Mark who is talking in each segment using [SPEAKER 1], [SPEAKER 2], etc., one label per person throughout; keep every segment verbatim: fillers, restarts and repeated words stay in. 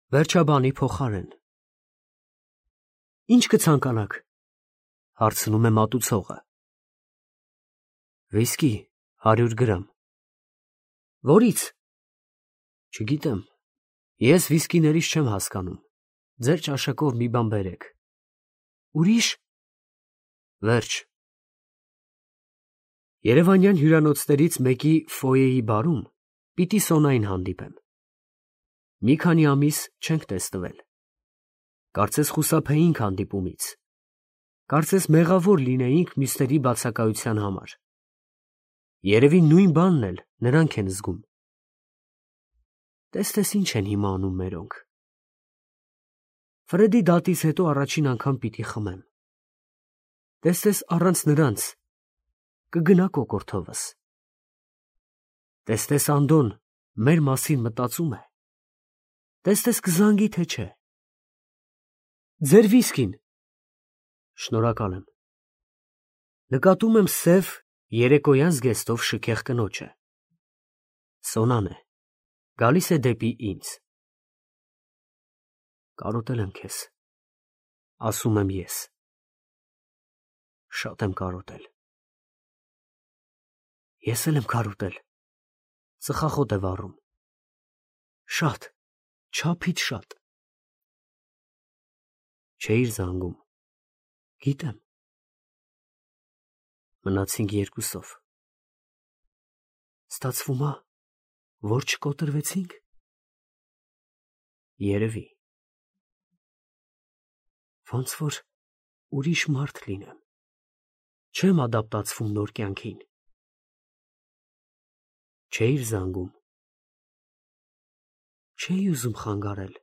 [SPEAKER 1] Վերջաբանի փոխարեն։ Ինչ կցանկանաք, հարցնում է մատուցողը։ Վիսկի, հարյուր գրամ։ Որից։ Չգիտեմ, ես վիսկիներից չեմ հասկանում, ձեր ճաշակով մի բան բերեք։ Ուրիշ։ Վերջ։ Երևանյան հյուրանոցներից մեկի ֆոյեի բարում պիտի Սոնային հանդիպեմ։ Մի քանի ամիս չենք տեսնվել։ Կարծես խուսափեինք հանդիպումից։ Կարծես մեղավոր լինեինք մյուսների բացակայության համար։ Երևի նույն բանն էլ նրանք են զգում։ Տես-տես ինչ են հիմա անում մերոնք։ Ֆրեդի դատից հետո առաջին անգամ պիտի խմեմ։ Տես-տես առանց նրանց կգնա կոկորդովս։ Տես-տես Անդոն մեր մասին մտածում է։ Տես-տես կզանգի թե չէ։ Ձեր վիսկին։ Շնորհակալ եմ։ Նկատում եմ սև երեկոյան զգեստով շքեղ կնոջը։ Սոնան է, գալիս է դեպի ինձ։ Կարոտել եմ քեզ, ասում եմ ես։ Շատ եմ կարոտել։ Ես էլ եմ կարոտել, ծխախոտ է վառում։ Շատ, չափից շատ։ Չէիր զանգում, գիտեմ։ Մնացինք երկուսով։ Ստացվում ա, որ չկոտրվեցինք։ Երևի։ Ոնց որ ուրիշ մարդ լինեմ։ Չեմ ադապտացվում նոր կյանքին։ Չէիր զանգում։ Չէի ուզում խանգարել։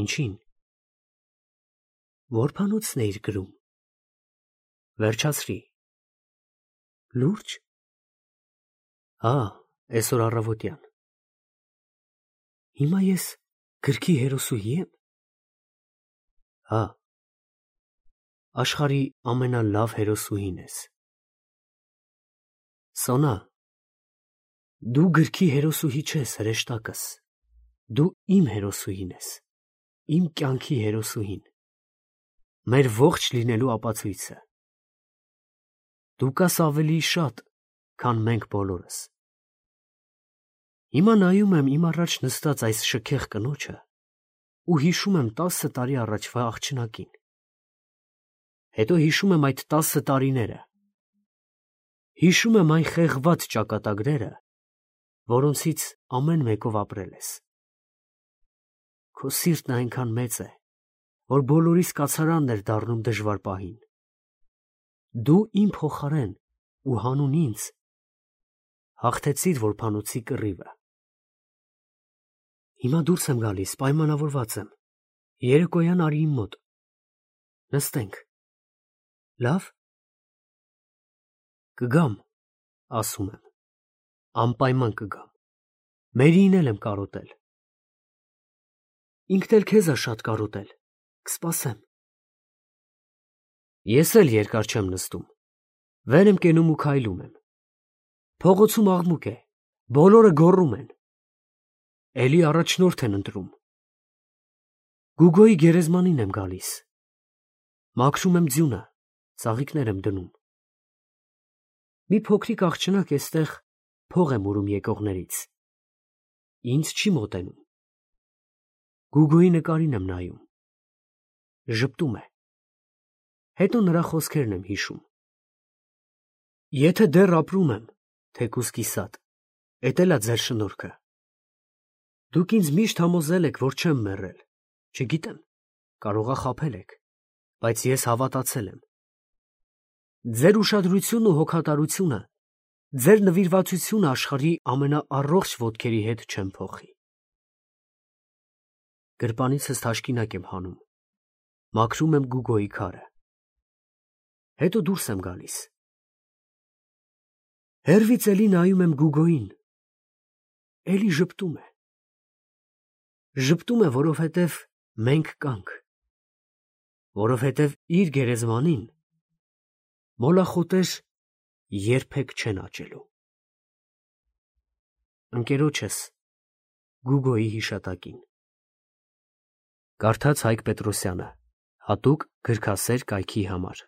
[SPEAKER 1] Ինչին։ Որբանոցն էիր գրում։ Վերջացրի։ Լուրջ։ Հա, այսօր առավոտյան։ Հիմա ես գրքի հերոսուհի եմ։ Հա, աշխարհի ամենալավ հերոսուհին ես։ Սոնա, դու գրքի հերոսուհի չես, հրեշտակս։ Դու իմ հերոսուհին ես, իմ կյանքի հերոսուհին, մեր ողջ լինելու ապացույցը։ Դու կաս ավելի շատ, քան մենք բոլորս։ Հիմա նայում եմ իմ առաջ նստած այս շքեղ կնոջը ու հիշում եմ տասը տարի առաջվա աղջնակին։ Հետո հիշում եմ այդ տասը տարիները։ Հիշում եմ այն խեղված ճակատագրերը, որոնցից ամեն մեկով ապրել ես։ Քո սիրտն այնքան մեծ է, որ բոլորիս կացարանն էր դառնում դժվար պահին։ Դու իմ փոխարեն ու հանուն ինձ հաղթեցիր որբանոցի կռիվը։ Հիմա դուրս եմ գալիս, պայմանավորված եմ։ Երեկոյան արի իմ մոտ։ Նստենք։ Լավ։ Կգամ, ասում եմ։ Անպայման կգամ։ Մերիին էլ եմ կարոտել։ Ինքն էլ քեզ ա շատ կարոտել։ Կսպասեմ։ Ես էլ երկար չեմ նստում։ Վեր եմ կենում ու քայլում եմ։ Փողոցում աղմուկ է, բոլորը գոռում են։ Էլի առաջնորդ են ընտրում։ Գուգոյի գերեզմանին եմ գալիս։ Մաքրում եմ ձյունը, ծաղիկներ եմ դնում։ Մի փոքրիկ աղջնակ էստեղ փող եմ ուրում եկողներից։ Ինձ չի մոտենում։ Գուգոյի նկարին եմ նայում։ Ժպտում է։ Հետո նրա խոսքերն եմ հիշում։ Եթե դեռ ապրում եմ, թեկուզ կիսատ, էդ էլ ա ձեր շնորհքը։ Դուք ինձ միշտ համոզել եք, որ չեմ մեռել։ Չգիտեմ, կարող ա խաբել եք, բայց ես հավատացել եմ։ Ձեր ուշադրությունն ու հոգատարությունը, ձեր նվիրվածությունը աշխարհի ամենաառողջ ոտքերի հետ չեմ փոխի։ Գրպանիցս թաշկինակ եմ հանում, մաքրում եմ Գուգոյի քարը։ Հետո դուրս եմ գալիս։ Հեռվից էլի նայում եմ Գուգոյին։ Էլի ժպտում է։ Ժպտում է, որովհետև մենք կանք, որովհետև իր գերեզմանին մոլախոտեր երբեք չեն աճելու։ Ընկերոջս Գուգոյի հիշատակին։ Կարդաց Հայկ Պետրոսյանը, հատուկ գրքասեր կայքի համար։